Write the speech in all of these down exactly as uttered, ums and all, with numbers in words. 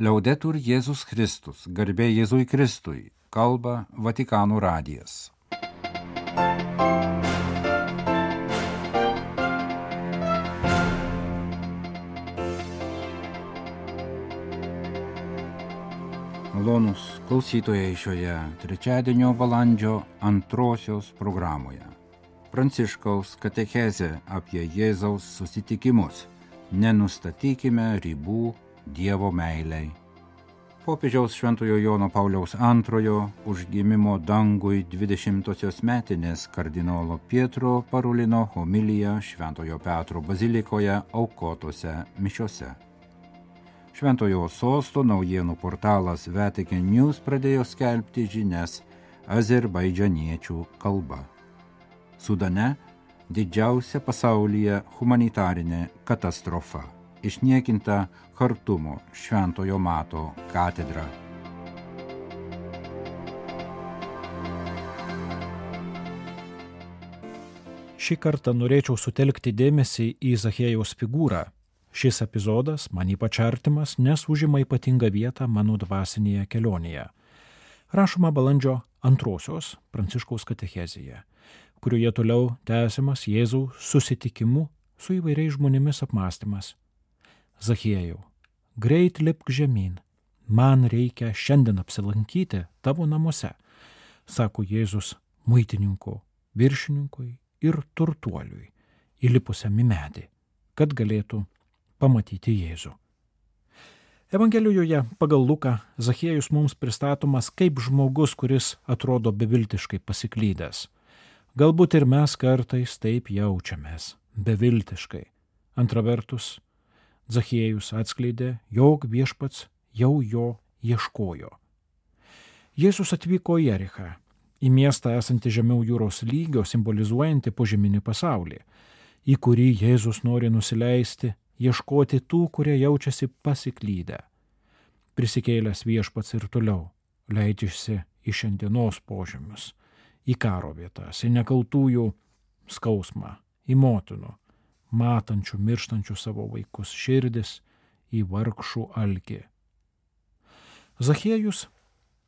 Liaudetur Jėzus Kristus, garbė Jėzui Kristui, kalba Vatikano radijas. Malonūs klausytojai šioje trečiadienio balandžio antrosios programoje. Pranciškaus katechezė apie Jėzaus susitikimus. Nenustatykime ribų Dievo meilei. Popiežiaus Šventojo Jono Pauliaus antrojo užgimimo dangui dvidešimtosios metinės kardinolo Pietro Parulino homilija Šventojo Petro bazilikoje aukotose mišiose. Šventojo sosto naujienų portalas Vatican News pradėjo skelbti žinias azerbaidžaniečių kalba. Sudane didžiausia pasaulyje humanitarinė katastrofa. Išniekinta Chartumo Šventojo Mato katedra. Šį kartą norėčiau sutelkti dėmesį į Zachiejaus figūrą. Šis epizodas man ypač artimas, nes užima ypatingą vietą mano dvasinėje kelionėje. Rašoma balandžio antrosios Pranciškaus katechezėje, kurioje toliau tęsiamas Jėzaus susitikimu su įvairiais žmonėmis apmąstymas. Zachiejau, greit lipk žemyn, man reikia šiandien apsilankyti tavo namuose, sako Jėzus muitininkų, viršininkui ir turtuoliui, įlipusiam į medį, kad galėtų pamatyti Jėzų. Evangelijoje pagal Luką Zachiejus mums pristatomas kaip žmogus, kuris atrodo beviltiškai pasiklydęs. Galbūt ir mes kartais taip jaučiamės, beviltiškai. Antra vertus, Zachiejus atskleidė, jog viešpats jau jo ieškojo. Jėzus atvyko į Jerichą, į miestą esantį žemiau jūros lygio, simbolizuojantį požeminį pasaulį, į kurį Jėzus nori nusileisti, ieškoti tų, kurie jaučiasi pasiklydę. Prisikėlęs viešpats ir toliau leidžiasi į šiandienos požemius, į karo vietas, į nekaltųjų skausmą, į motinų, matančių, mirštančių savo vaikus širdis, į vargšų alkį. Zachiejus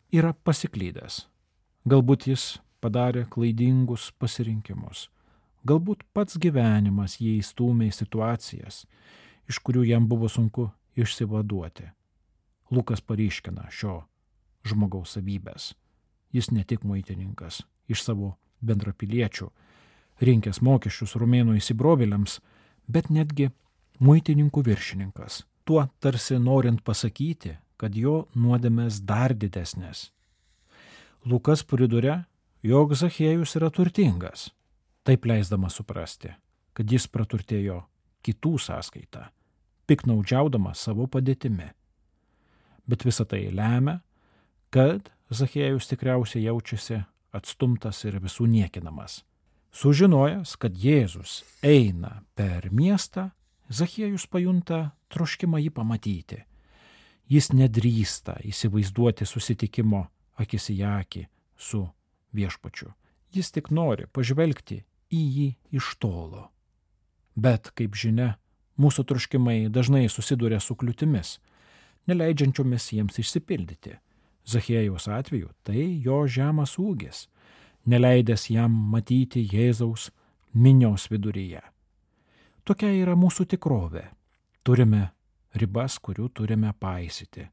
yra pasiklydęs. Galbūt jis padarė klaidingus pasirinkimus. Galbūt pats gyvenimas jį įstūmė į situacijas, iš kurių jam buvo sunku išsivaduoti. Lukas paryškina šio žmogaus savybės. Jis ne tik muitininkas, iš savo bendrapiliečių, rinkęs mokesčius romėnų įsibrovėliams, bet netgi muitininkų viršininkas, tuo tarsi norint pasakyti, kad jo nuodėmės dar didesnės. Lukas priduria, jog Zachiejus yra turtingas, taip leisdamas suprasti, kad jis praturtėjo kitų sąskaitą, piknaudžiaudamas savo padėtimi. Bet visa tai lemia, kad Zachiejus tikriausiai jaučiasi atstumtas ir visų niekinamas. Sužinojęs, kad Jėzus eina per miestą, Zachiejus pajunta troškimą jį pamatyti. Jis nedrįsta įsivaizduoti susitikimo akis į akį su viešpačiu. Jis tik nori pažvelgti į jį iš tolo. Bet, kaip žinia, mūsų troškimai dažnai susiduria su kliūtimis, neleidžiančiomis jiems išsipildyti. Zachiejaus atveju tai jo žemas ūgis, neleidęs jam matyti Jėzaus minios viduryje. Tokia yra mūsų tikrovė. Turime ribas, kurių turime paisyti.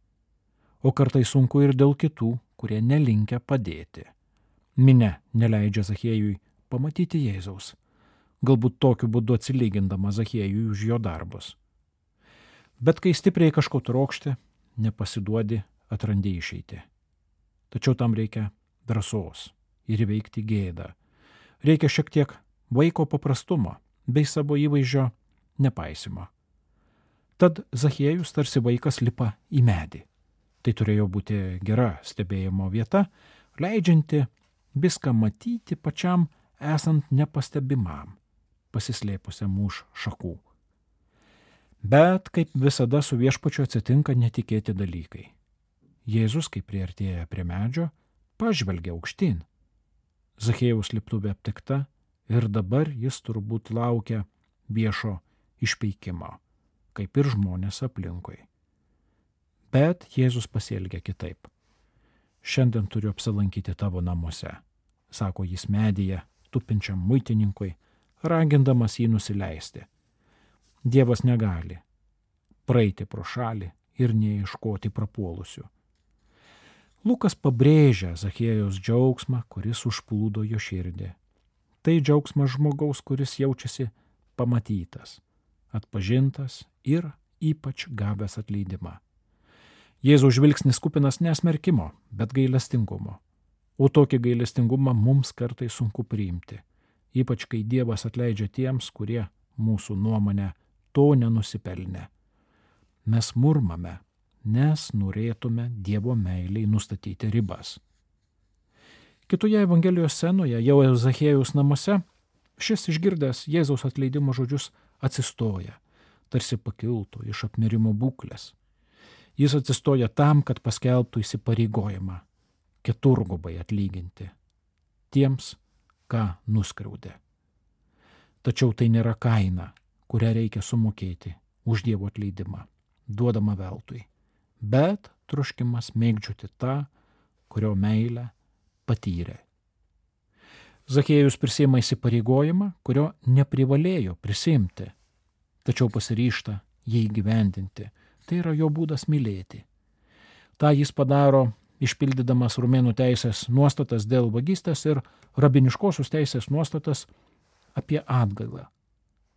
O kartais sunku ir dėl kitų, kurie nelinkę padėti. Minia neleidžia Zachiejui pamatyti Jėzaus, galbūt tokiu būdu atsilygindama Zachiejui už jo darbus. Bet kai stipriai kažko trokšti, nepasiduodi, atrandi išeitį. Tačiau tam reikia drąsos ir įveikti gėdą. Reikia šiek tiek vaiko paprastumo bei savo įvaizdžio nepaisimo. Tad Zachiejus tarsi vaikas lipa į medį. Tai turėjo būti gera stebėjimo vieta, leidžianti viską matyti pačiam esant nepastebimam, pasislėpusiam už šakų. Bet kaip visada su viešpačiu atsitinka netikėti dalykai. Jėzus, kai priartėja prie medžio, pažvelgia aukštyn. Zachiejaus liptuvė aptikta ir dabar jis turbūt laukia viešo išpeikimo, kaip ir žmonės aplinkui. Bet Jėzus pasielgia kitaip. Šiandien turiu apsilankyti tavo namuose, sako jis medyje, tupinčiam muitininkui, ragindamas jį nusileisti. Dievas negali praeiti pro šalį ir neieškoti prapuolusių. Lukas pabrėžia Zachiejaus džiaugsmą, kuris užplūdo jo širdį. Tai džiaugsmas žmogaus, kuris jaučiasi pamatytas, atpažintas ir ypač gavęs atleidimą. Jėzaus žvilgsnis kupinas nesmerkimo, bet gailestingumo. O tokį gailestingumą mums kartais sunku priimti, ypač kai Dievas atleidžia tiems, kurie mūsų nuomonę to nenusipelnė. Mes murmame, nes norėtume Dievo meiliai nustatyti ribas. Kitoje Evangelijos scenoje, jau Zachiejaus namuose, šis išgirdęs Jėzaus atleidimo žodžius atsistoja, tarsi pakiltų iš apmirimo būklės. Jis atsistoja tam, kad paskelbtų įsipareigojimą keturgubai atlyginti tiems, ką nuskriaudė. Tačiau tai nėra kaina, kurią reikia sumokėti už Dievo atleidimą, duodama veltui, bet troškimas mėgdžioti tą, kurio meilę patyrė. Zachiejus prisiima įsipareigojimą, kurio neprivalėjo prisimti, tačiau pasiryžta jį įgyvendinti. Tai yra jo būdas mylėti. Ta jis padaro, išpildydamas romėnų teisės nuostatas dėl vagystės ir rabiniškosios teisės nuostatas apie atgailą.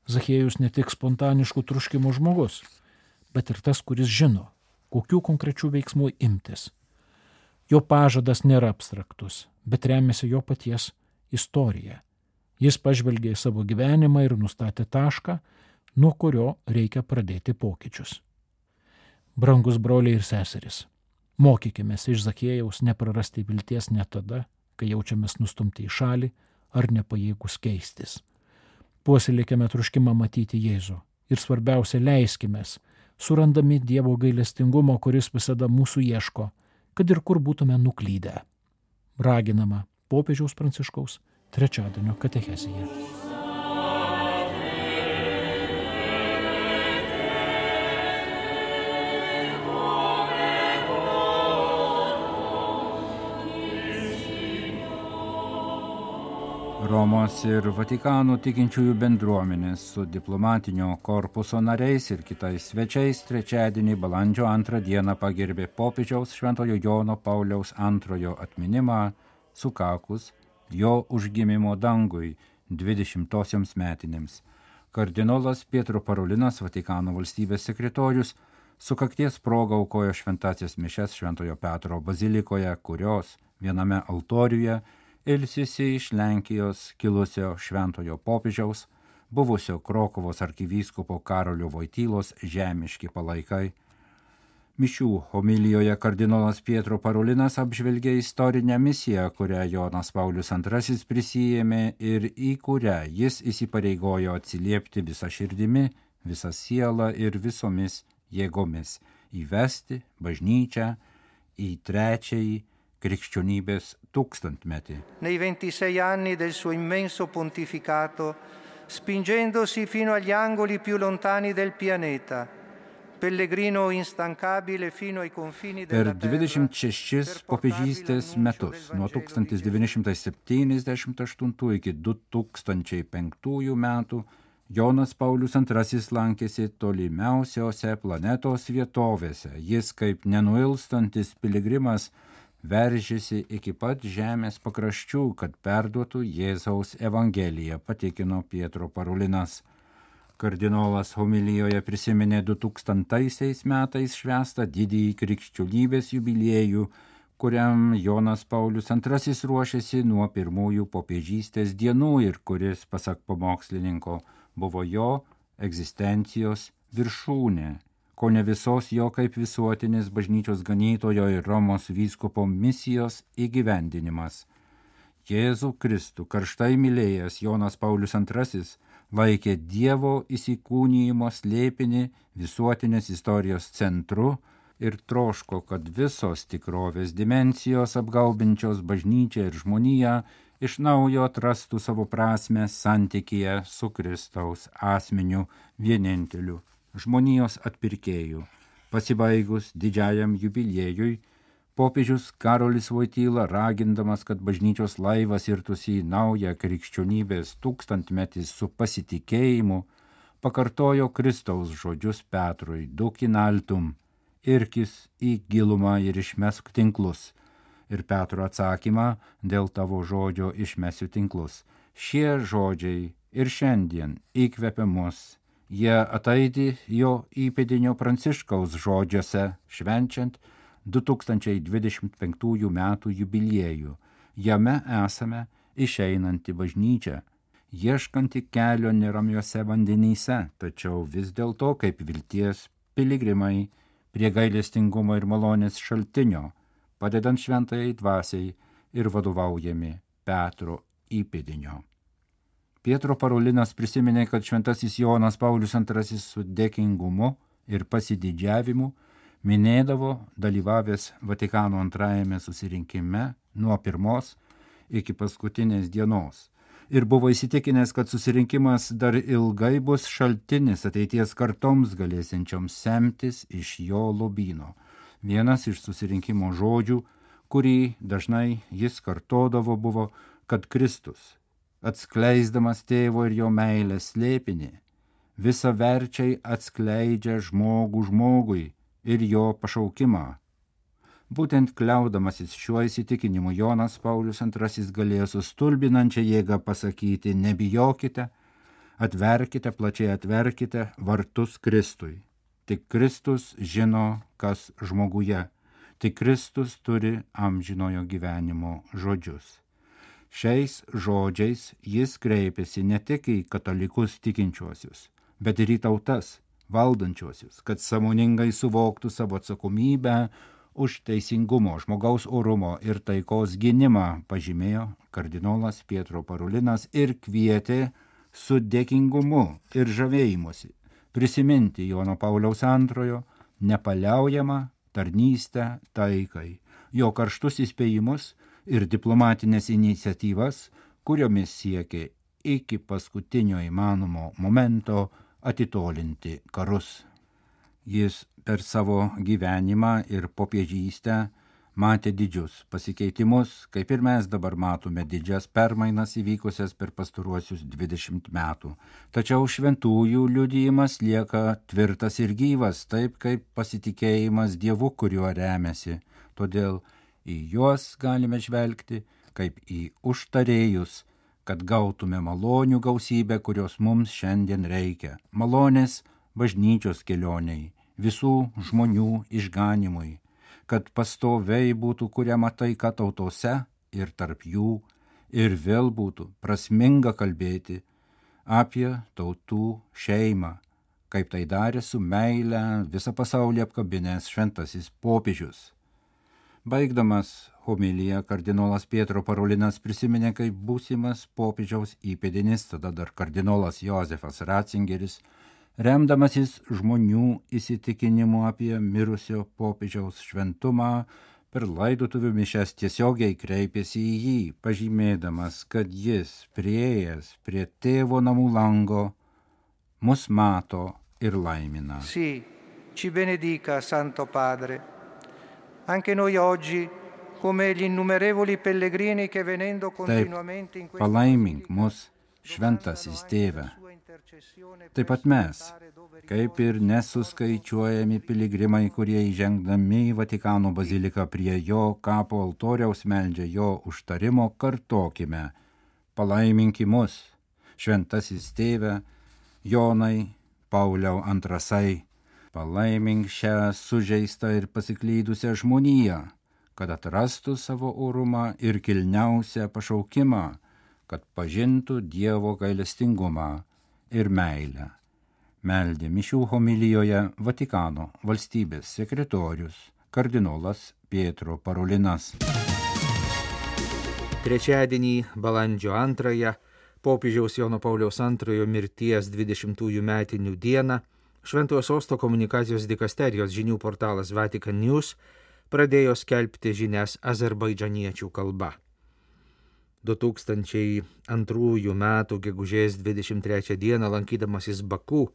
Zachiejus ne tik spontaniškų troškimų žmogus, bet ir tas, kuris žino, kokių konkrečių veiksmų imtis. Jo pažadas nėra abstraktus, bet remiasi jo paties istorija. Jis pažvelgė į savo gyvenimą ir nustatė tašką, nuo kurio reikia pradėti pokyčius. Brangus broliai ir seserys, mokykimės iš Zachiejaus neprarasti vilties net tada, kai jaučiamės nustumti į šalį ar nepajėgus keistis. Puoselėkime troškimą matyti Jėzų ir svarbiausia leiskimės, surandami Dievo gailestingumo, kuris visada mūsų ieško, kad ir kur būtume nuklydę. Raginama popiežiaus Pranciškaus trečiadienio katechezėje. Romos ir Vatikano tikinčiųjų bendruomenės su diplomatinio korpuso nariais ir kitais svečiais trečiadienį balandžio antrą dieną pagerbė popiežiaus Šventojo Jono Pauliaus antrojo atminimą sukakus jo užgimimo dangui dvidešimtosioms metinėms. Kardinolas Pietro Parolinas, Vatikano valstybės sekretorius, sukakties proga aukojo šventąsias mišias Šventojo Petro bazilikoje, kurios viename altoriuje ilsisi iš Lenkijos kilusio šventojo popiežiaus, buvusio Krokuvos arkivyskupo Karolio Voitylos žemiški palaikai. Mišių homilijoje kardinolas Pietro Parolinas apžvelgė istorinę misiją, kurią Jonas Paulius antrasis prisijėmė ir į kurią jis įsipareigojo atsiliepti visą širdimi, visą sielą ir visomis jėgomis, įvesti bažnyčią į trečiąjį krikščionybės tūkstantmetį. Nei ventisei anni del suo immenso pontificato, spingendosi fino agli angoli più lontani del pianeta, pellegrino instancabile fino ai confini della terra. Per dvidešimt šešis popiežystės metus, nuo tūkstantis devyni šimtai septyniasdešimt aštuntų iki du tūkstančiai penktųjų metų, Jonas Paulius antrasis lankėsi tolimiausiose planetos vietovėse. Jis kaip nenuilstantis piligrimas veržėsi iki pat žemės pakraščių, kad perduotų Jėzaus evangeliją, patikino Pietro Parolinas. Kardinolas homilijoje prisiminė du tūkstantaisiais metais švęstą didįjį krikščionybės jubiliejų, kuriam Jonas Paulius antrasis ruošėsi nuo pirmųjų popiežystės dienų ir kuris, pasak pamokslininko, buvo jo egzistencijos viršūnė, ko ne visos jo kaip visuotinės bažnyčios ganytojo ir Romos vyskupo misijos įgyvendinimas. Jėzų Kristų karštai mylėjęs Jonas Paulius antrasis laikė Dievo įsikūnijimo slėpinį visuotinės istorijos centru ir troško, kad visos tikrovės dimensijos apgaubinčios bažnyčią ir žmoniją iš naujo atrastų savo prasmę santykyje su Kristaus asmeniu vieninteliu, žmonijos atpirkėjų, Pasibaigus didžiajam jubiliejui, popiežius Karolis Voityla, ragindamas, kad bažnyčios laivas irtųsi į naują krikščionybės tūkstantmetį su pasitikėjimu, pakartojo Kristaus žodžius Petrui: duc in altum, irkis į gilumą ir išmesk tinklus. Ir Petro atsakymą: dėl tavo žodžio išmesiu tinklus. Šie žodžiai ir šiandien įkvepia mus. Jie ataidi jo įpėdinio Pranciškaus žodžiuose, švenčiant du tūkstančiai dvidešimt penktųjų metų jubiliejų. Jame esame išeinanti bažnyčia, ieškanti kelio neramiuose vandenyse, tačiau vis dėlto kaip vilties piligrimai prie gailestingumo ir malonės šaltinio, padedant šventajai dvasiai ir vadovaujami Petro įpėdinio. Pietro Parolinas prisiminė, kad šventasis Jonas Paulius antrasis su dėkingumu ir pasididžiavimu minėdavo dalyvavęs Vatikano antrajame susirinkime nuo pirmos iki paskutinės dienos ir buvo įsitikinęs, kad susirinkimas dar ilgai bus šaltinis ateities kartoms galėsiančioms semtis iš jo lobyno. Vienas iš susirinkimo žodžių, kurį dažnai jis kartodavo, buvo, kad Kristus, atskleisdamas tėvo ir jo meilės slėpinį, visaverčiai atskleidžia žmogų žmogui ir jo pašaukimą. Būtent kliaudamasis šiuo įsitikinimu Jonas Paulius antrasis galėjo su stulbinančia jėga pasakyti: nebijokite, atverkite, plačiai atverkite vartus Kristui. Tik Kristus žino, kas žmoguje, tik Kristus turi amžinojo gyvenimo žodžius. Šiais žodžiais jis kreipėsi ne tik į katalikus tikinčiuosius, bet ir į tautas valdančiuosius, kad sąmoningai suvoktų savo atsakomybę už teisingumo, žmogaus orumo ir taikos gynimą, pažymėjo kardinolas Pietro Parolinas ir kvietė su dėkingumu ir žavėjimusi prisiminti Jono Pauliaus antrojo nepaliaujamą tarnystę taikai, jo karštus įspėjimus ir diplomatinės iniciatyvas, kuriomis siekė iki paskutinio įmanomo momento atitolinti karus. Jis per savo gyvenimą ir popiežystę matė didžius pasikeitimus, kaip ir mes dabar matome didžias permainas įvykusias per pastaruosius dvidešimt metų. Tačiau šventųjų liudijimas lieka tvirtas ir gyvas, taip kaip pasitikėjimas Dievu, kuriuo remiasi. Todėl į juos galime žvelgti kaip į užtarėjus, kad gautume malonių gausybę, kurios mums šiandien reikia. Malonės bažnyčios kelioniai, visų žmonių išganimui, kad pastoviai būtų kuriama taika tautose ir tarp jų, ir vėl būtų prasminga kalbėti apie tautų šeimą, kaip tai darė su meile visą pasaulį apkabinęs šventasis popiežius. Baigdamas homiliją, kardinolas Pietro Parolinas prisiminė, kaip būsimas popiežiaus įpėdinis, tada dar kardinolas Jozefas Ratzingeris, remdamasis žmonių įsitikinimu apie mirusio popiežiaus šventumą, per laidotuvių mišias tiesiogiai kreipėsi į jį, pažymėdamas, kad jis, priėjęs prie tėvo namų lango, mus mato ir laimina. Sì, ci benedica, Santo Padre. Anche noi oggi, come gli innumerevoli pellegrini che venendo continuamente in Taip, palaimink mus, šventasis tėve. Taip pat mes, kaip ir nesuskaičiuojami piligrimai, kurie įžengdami į Vatikano baziliką prie jo kapo altoriaus meldžia jo užtarimo, kartokime: palaiminki mus, šventasis tėve, Jonai Pauliau antrasai, palaimink šią sužeistą ir pasiklydusią žmoniją, kad atrastų savo orumą ir kilniausią pašaukimą, kad pažintų Dievo gailestingumą ir meilę. Meldė mišių homilijoje Vatikano valstybės sekretorius kardinolas Pietro Parolinas. Trečiadienį, balandžio antrąją, popiežiaus Jono Pauliaus antrojo mirties dvidešimtųjų metinių dieną, Šventojo Sosto komunikacijos dikasterijos žinių portalas Vatican News pradėjo skelbti žinias azerbaidžaniečių kalba. du tūkstančiai antrųjų metų gegužės dvidešimt trečią dieną, lankydamasis Baku,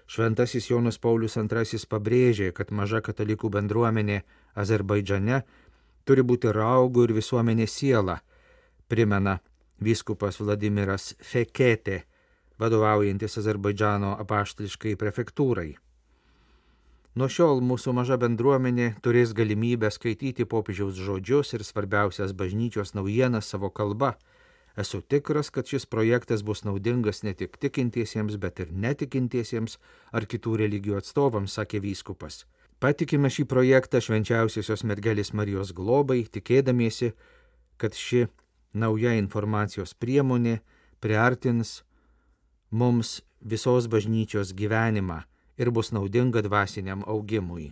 Šventasis Jonas Paulius antrasis pabrėžė, kad maža katalikų bendruomenė Azerbaidžane turi būti raugų ir visuomenės siela, primena vyskupas Vladimiras Feketė, vadovaujantis Azerbaidžano apaštališkai prefektūrai. Nuo šiol mūsų maža bendruomenė turės galimybę skaityti popiežiaus žodžius ir svarbiausias bažnyčios naujienas savo kalba. Esu tikras, kad šis projektas bus naudingas ne tik tikintiesiems, bet ir netikintiesiems ar kitų religijų atstovams, sakė vyskupas. Patikime šį projektą švenčiausiosios mergelės Marijos globai, tikėdamiesi, kad ši nauja informacijos priemonė priartins mums visos bažnyčios gyvenimą ir bus naudinga dvasiniam augimui.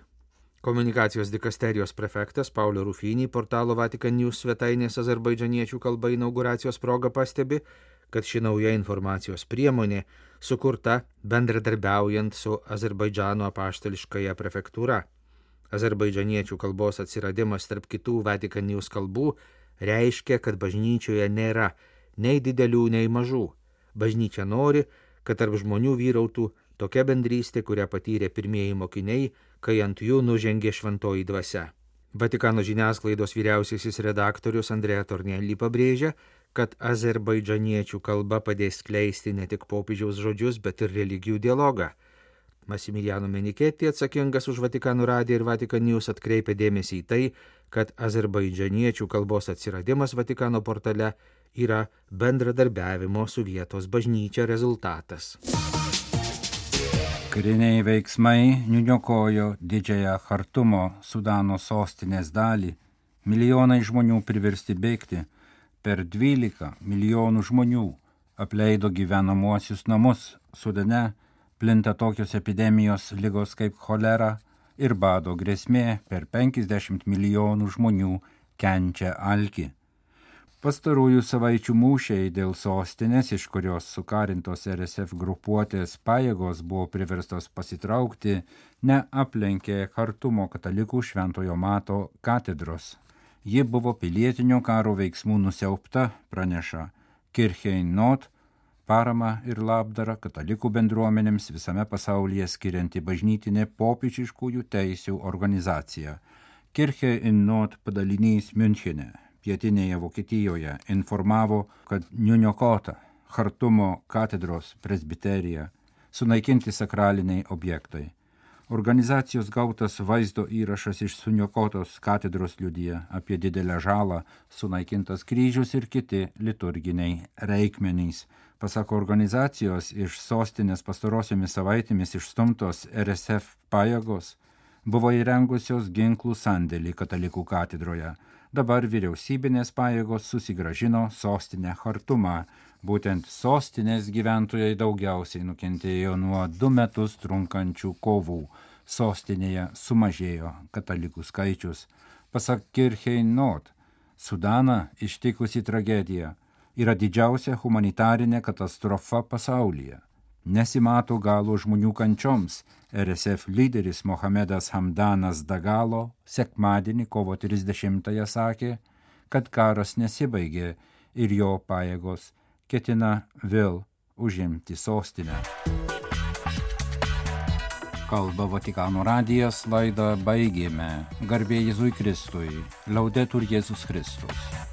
Komunikacijos dikasterijos prefektas Paulio Rufinį portalo Vatican News svetainės azerbaidžaniečių kalba inauguracijos proga pastebi, kad ši nauja informacijos priemonė sukurta bendradarbiaujant su Azerbaidžano apaštališkąja prefektūra. Azerbaidžaniečių kalbos atsiradimas tarp kitų Vatican News kalbų reiškia, kad bažnyčioje nėra nei didelių, nei mažų. Bažnyčia nori, kad tarp žmonių vyrautų tokia bendrystė, kurią patyrė pirmieji mokiniai, kai ant jų nužengė šventoji dvasia. Vatikano žiniasklaidos vyriausiasis redaktorius Andrea Tornelli pabrėžia, kad azerbaidžaniečių kalba padės skleisti ne tik popiežiaus žodžius, bet ir religijų dialogą. Massimiliano Meniketti, atsakingas už Vatikano radiją ir Vatican News, atkreipė dėmesį į tai, kad azerbaidžaniečių kalbos atsiradimas Vatikano portale yra bendradarbiavimo su vietos bažnyčia rezultatas. Kariniai veiksmai nuniokojo didžiąją Chartumo Sudano sostinės dalį, milijonai žmonių priversti bėgti, per dvylika milijonų žmonių apleido gyvenamuosius namus. Sudane plinta tokios epidemijos ligos kaip cholera ir bado grėsmė, per penkiasdešimt milijonų žmonių kenčia alkį. Pastarųjų savaičių mūšiai dėl sostinės, iš kurios sukarintos R S F grupuotės pajėgos buvo priverstos pasitraukti, neaplenkė Chartumo katalikų Šventojo Mato katedros. Ji buvo pilietinio karo veiksmų nusiaupta, praneša Kirchei Not, parama ir labdara katalikų bendruomenėms visame pasaulyje skirianti bažnytinė popiežiškųjų teisių organizacija. Kirchei Not padalinys Münchene, pietinėje Vokietijoje, informavo, kad niuniokota Chartumo katedros presbiterija, sunaikinti sakraliniai objektai. Organizacijos gautas vaizdo įrašas iš suniokotos katedros liudija apie didelę žalą, sunaikintas kryžius ir kiti liturginiai reikmenys. Pasak organizacijos, iš sostinės pastarosiomis savaitėmis išstumtos R S F pajėgos buvo įrengusios ginklų sandėlį katalikų katedroje. Dabar vyriausybinės pajėgos susigrąžino sostinę Chartumą. Būtent sostinės gyventojai daugiausiai nukentėjo nuo du metus trunkančių kovų. Sostinėje sumažėjo katalikų skaičius. Pasak Kirchei Not, Sudaną ištikusi tragedija yra didžiausia humanitarinė katastrofa pasaulyje. Nesimato galo žmonių kančioms. R S F lyderis Mohamedas Hamdanas Dagalo sekmadienį kovo trisdešimtąją sakė, kad karas nesibaigė ir jo pajėgos ketina vėl užimti sostinę. Kalba Vatikano radijas, laidą baigėme. Garbė Jėzui Kristui. Laudetur Jėzus Kristus.